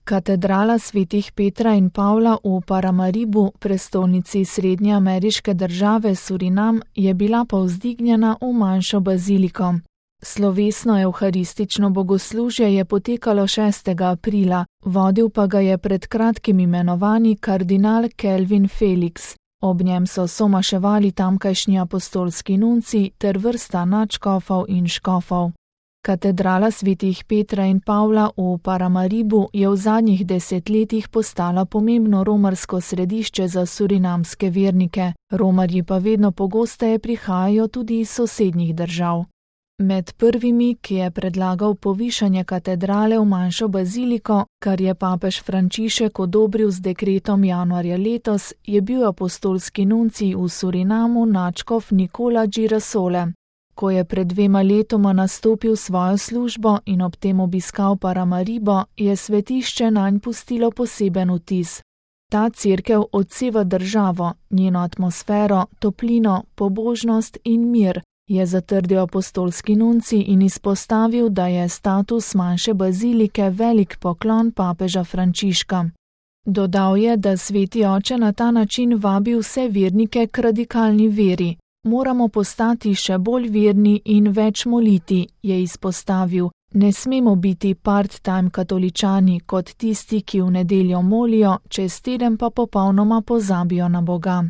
Katedrala svetih Petra in Pavla v Paramaribu, prestolnici srednje ameriške države Surinam, je bila povzdignjena v manjšo baziliko. Slovesno evharistično bogoslužje je potekalo 6. aprila, vodil pa ga je pred kratkim imenovani kardinal Kelvin Felix. Ob njem so somaševali tamkajšnji apostolski nunci ter vrsta nadškofov in škofov. Katedrala svetih Petra in Pavla v Paramaribu je v zadnjih desetletjih postala pomembno romarsko središče za surinamske vernike, romarji pa vedno pogosteje prihajajo tudi iz sosednjih držav. Med prvimi, ki je predlagal povišanje katedrale v manjšo baziliko, kar je papež Frančišek odobril z dekretom januarja letos, je bil apostolski nuncij v Surinamu nadškof Nicola Girasole. Ko je pred 2 letoma nastopil svojo službo in ob tem obiskal Paramaribo, je svetišče nanj pustilo poseben vtis. Ta cerkev odseva državo, njeno atmosfero, toplino, pobožnost in mir, je zatrdil apostolski nuncij in izpostavil, da je status manjše bazilike velik poklon papeža Frančiška. Dodal je, da sveti oče na ta način vabi vse vernike k radikalni veri. Moramo postati še bolj verni in več moliti, je izpostavil. Ne smemo biti part-time katoličani kot tisti, ki v nedeljo molijo, čez teden pa popolnoma pozabijo na Boga.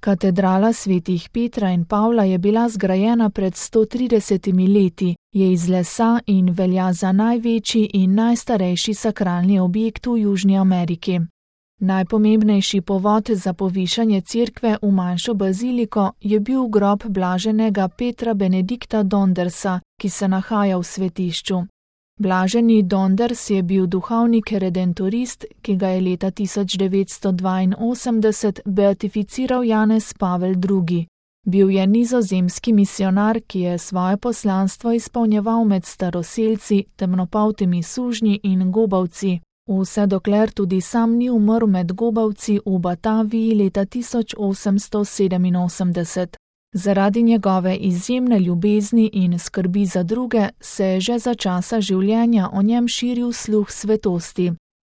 Katedrala svetih Petra in Pavla je bila zgrajena pred 130 leti, je iz lesa in velja za največji in najstarejši sakralni objekt v Južni Ameriki. Najpomembnejši povod za povišanje cerkve v manjšo baziliko je bil grob blaženega Petra Benedikta Dondersa, ki se nahaja v svetišču. Blaženi Donders je bil duhovnik redentorist, ki ga je leta 1982 beatificiral Janez Pavel II. Bil je nizozemski misionar, ki je svoje poslanstvo izpolnjeval med staroselci, temnopoltimi sužnji in gobavci. Vse dokler tudi sam ni umrl med gobavci v Bataviji leta 1887. Zaradi njegove izjemne ljubezni in skrbi za druge se je že za časa življenja o njem širil sluh svetosti.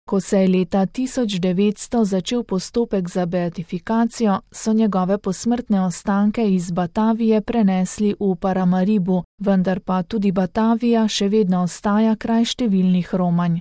Ko se je leta 1900 začel postopek za beatifikacijo, so njegove posmrtne ostanke iz Batavije prenesli v Paramaribu, vendar pa tudi Batavija še vedno ostaja kraj številnih romanj.